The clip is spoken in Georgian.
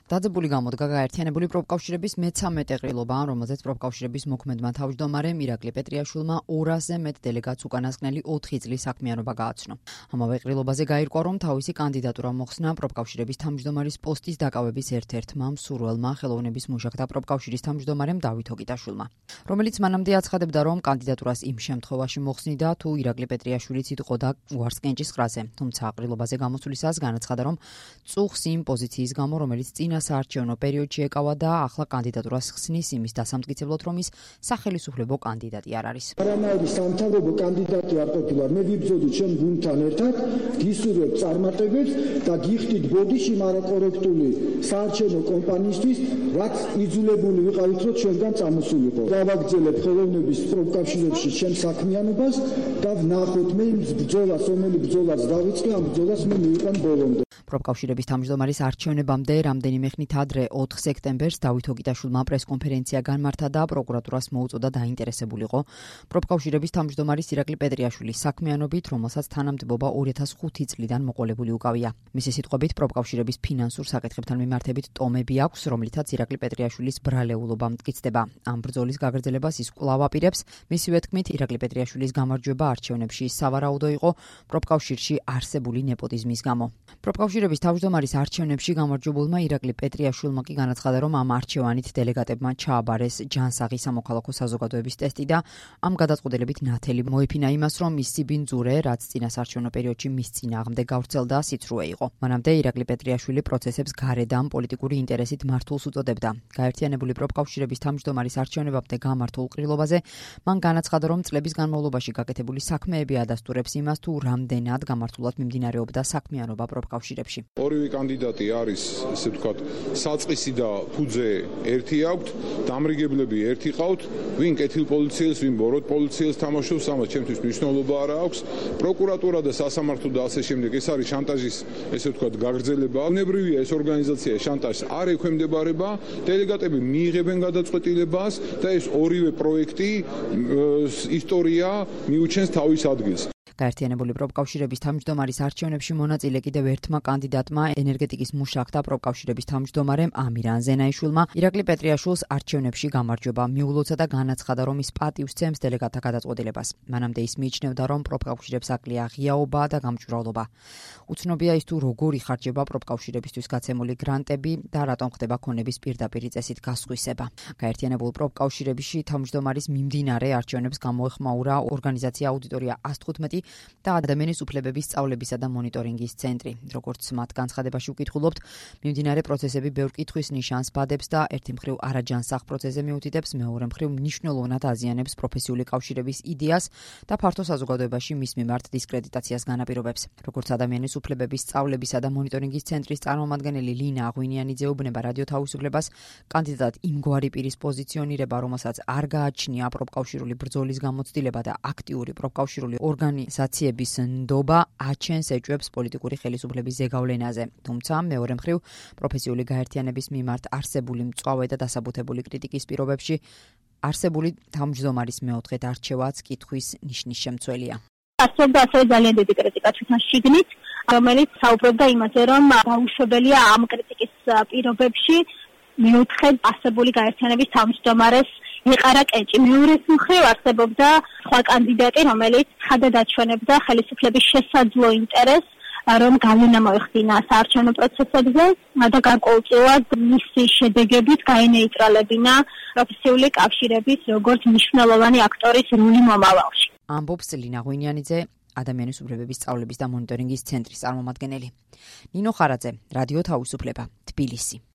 დაძაბული გამოდგა გაერთიანებული პროფკავშირების მე-13 ყრილობა, რომელზეც პროფკავშირების მოქმედმა თავმჯდომარემ ირაკლი პეტრიაშვილმა 200-ზე მეტ დელეგატს უკანასკნელი 4 წლის საქმიანობა გააცნო. ამავე ყრილობაზე გაირკვა, რომ თავისი კანდიდატურა მოხსნა პროფკავშირების თავმჯდომარის პოსტის დაკავების ერთ-ერთმა მსურველმა ხელოვნების მუშაკთა პროფკავშირის თავმჯდომარემ დავით ოკიტაშვილმა, რომელიც მანამდე აცხადებდა, რომ კანდიდატურას იმ შემთხვევაში მოხსნიდა, თუ ირაკლი პეტრიაშვილიც იტყოდა უარს კენჭისყრაზე. თუმცა ყრილობაზე გამოსვლისას განაცხადა, რომ წუხს იმ პოზიციის გამო, რომელიც წინა საარჩევნო პერიოდში ეკავა და ახლა კანდიდატურას ხსნის იმის დასამტკიცებლად, რომ ის სახელისუფლებო კანდიდატი არ არის. არანაირი სამთავრობო კანდიდატი არ ყოფილა. მე ვიბრძოდი ჩემ გუნდთან ერთად, გისურვებ წარმატებებს და გიხდით ბოდიში მარაკორექტული საარჩევნო კომპანიისთვის, რაც იძულებული ვიყავით, რომ ჩვენგან წამოსულიყო. გავაგრძელებ ხელოვნების პროფკავშირებში ჩემ საქმიანობას და ვნახოთ მე იმ ბრძოლას, რომელი ბრძოლას დავიწყე, ამ ბრძოლას მე მივიყვან ბოლომდე. პროფკავშირების თავმჯდომარის არჩევნებამდე რამდენიმე ხნით ადრე 4 სექტემბერს დავით ოკიტაშვილმა პრესკონფერენცია განმართა და პროკურატურას მოუწოდა დაინტერესებულიყო პროფკავშირების თავმჯდომარის ირაკლი პეტრიაშვილის საქმიანობით, რომელსაც თანამდებობა 2005 წლიდან მოყოლებული უკავია. მისი სიტყვებით, პროფკავშირების ფინანსურ საკითხებთან მიმართებით ტომები აქვს, რომლითაც ირაკლი პეტრიაშვილის ბრალეულობა მტკიცდება. ამ ბრძოლის გაგრძელებას ის კვლავ აპირებს. მისივე თქმით, ირაკლი პეტრიაშვილის გამარჯვება არჩევნებში სავარაუდო იყო პროფკავშირში არსებული ნეპოტიზმის გამო. პროფკავშირების თავმჯდომარის არჩევნებში გამარჯვებულმა ირაკლი პეტრიაშვილმა კი განაცხადა, რომ ამ არჩევანით დელეგატებმა ჩააბარეს ჯანსაღი სამოქალაქო საზოგადოების ტესტი და ამ გადაწყვეტილებით ნათელი მოიფინა იმას, რომ ის სიბინძურე, რაც წინა საარჩევნო პერიოდში მის წინააღმდეგ გავრცელდა, სიცრუე იყო. მანამდე ირაკლი პეტრიაშვილი პროცესებს გარედან პოლიტიკური ინტერესით მართულს უწოდებდა. გაერთიანებული პროფკავშირების თავმჯდომარის არჩევნებამდე გამართულ ყრილობაზე მან განაცხადა, რომ წლების განმავლობაში გაკეთებული საქმეები ადასტურებს იმას, თუ რამდენად გამართულად მიმდინარეობდა საქმიანობა პროფკავშირებში. ორივე კანდიდატი არის, ესე ვთქვათ, საწყისი და ფუძე ერთი აქვთ, დამრიგებლები ერთი ყავთ, ვინ კეთილპოლიციელს, ვინ ბოროტ პოლიციელს თამაშობს, ამას ჩემთვის მნიშვნელობა არ აქვს. პროკურატურა და სასამართლო და ასე შემდეგ, ეს არის შანტაჟის, ესე ვთქვათ, გაგრძელება. ბუნებრივია ეს ორგანიზაცია შანტაჟს არ ექვემდებარება, დელეგატები მიიღებენ გადაწყვეტილებას და ეს ორივე პროექტი ისტორია მიუჩენს თავის ადგილს. გაერთიანებული პროფკავშირების თავმჯდომარის არჩევნებში მონაწილე კიდევ ერთმა კანდიდატმა, ენერგეტიკის მუშაკთა პროფკავშირების თავმჯდომარემ ამირან ზენაიშვილმა ირაკლი პეტრიაშვილს არჩევნებში გამარჯვება მიულოცა და განაცხადა, რომ ის პატივს სცემს დელეგატთა გადაწყვეტილებას. მანამდე ის მიიჩნევდა, რომ პროფკავშირებს აკლია ღიაობა და გამჭვირვალობა. უცნობია ის, თუ როგორ იხარჯება პროფკავშირებისთვის გაცემული გრანტები და რატომ ხდება ქონების პირდაპირი წესით გასხვისება. გაერთიანებულ პროფკავშირებში თავმჯდომარის მიმდინარე არჩევნებს გამოეხმაურა ორგანიზაცია აუდიტორია 115 და ადამიანის უფლებების სწავლებისა და მონიტორინგის ცენტრი. როგორც მათ განცხადებაში უკითხულობთ, მიმდინარე პროცესები ბევრ კითხვის ნიშანს ბადებს და ერთი მხრივ არაჯანსაღ პროცესზე მიუთითებს, მეორე მხრივ მნიშვნელოვნად აზიანებს პროფესიული კავშირების იდეას და ფართო საზოგადოებაში მის მიმართ დისკრედიტაციას განაპირობებს. როგორც ადამიანის უფლებების სწავლებისა და მონიტორინგის ცენტრის წარმომადგენელი ლინა აღვინიანიძე უბნება რადიო თავისუფლებას, კანდიდატ იმგვარი პირის პოზიციონირება, რომელსაც არ გააჩნია პროფკავშირული ბრძოლის გამოცდილება და აქტიური პროფკავშირული ორგანიზაციების ნდობა აჩენს ეჭვებს პოლიტიკური ხელისუფლების ზეგავლენაზე. თუმცა მეორე მხრივ პროფესიული გაერთიანების მიმართ არსებული მწვავე და დასაბუთებული კრიტიკის პირობებში არსებული თავმჯდომარის მეოთხედ არჩევაც კითხვის ნიშნის შემცველია. არსებობდა ასევე ძალიან დიდი კრიტიკა თვითონ შიგნით, რომელიც საუბრობდა იმაზე, რომ დაუშვებელია ამ კრიტიკის პირობებში მეოთხედ არსებული გაერთიანების თავმჯდომარეს იყარა კენჭი. მეორეს მხრივ არსებობდა სხვა კანდიდატი, რომელიც ხადად აჩვენებდა ხელისუფლების შესაძლო ინტერესს, რომ გავლენა მოეხდინა საარჩევნო პროცესებზე და გარკვეულწილად მისი შედეგებით გაენეიტრალებინა პროფესიული კავშირების როგორც მნიშვნელოვანი აქტორის როლი მომავალში. ამბობს ლინა აღვინიანიძე, ადამიანის უფლებების სწავლების და მონიტორინგის ცენტრის წარმომადგენელი. ნინო ხარაძე, რადიო თავისუფლება, თბილისი.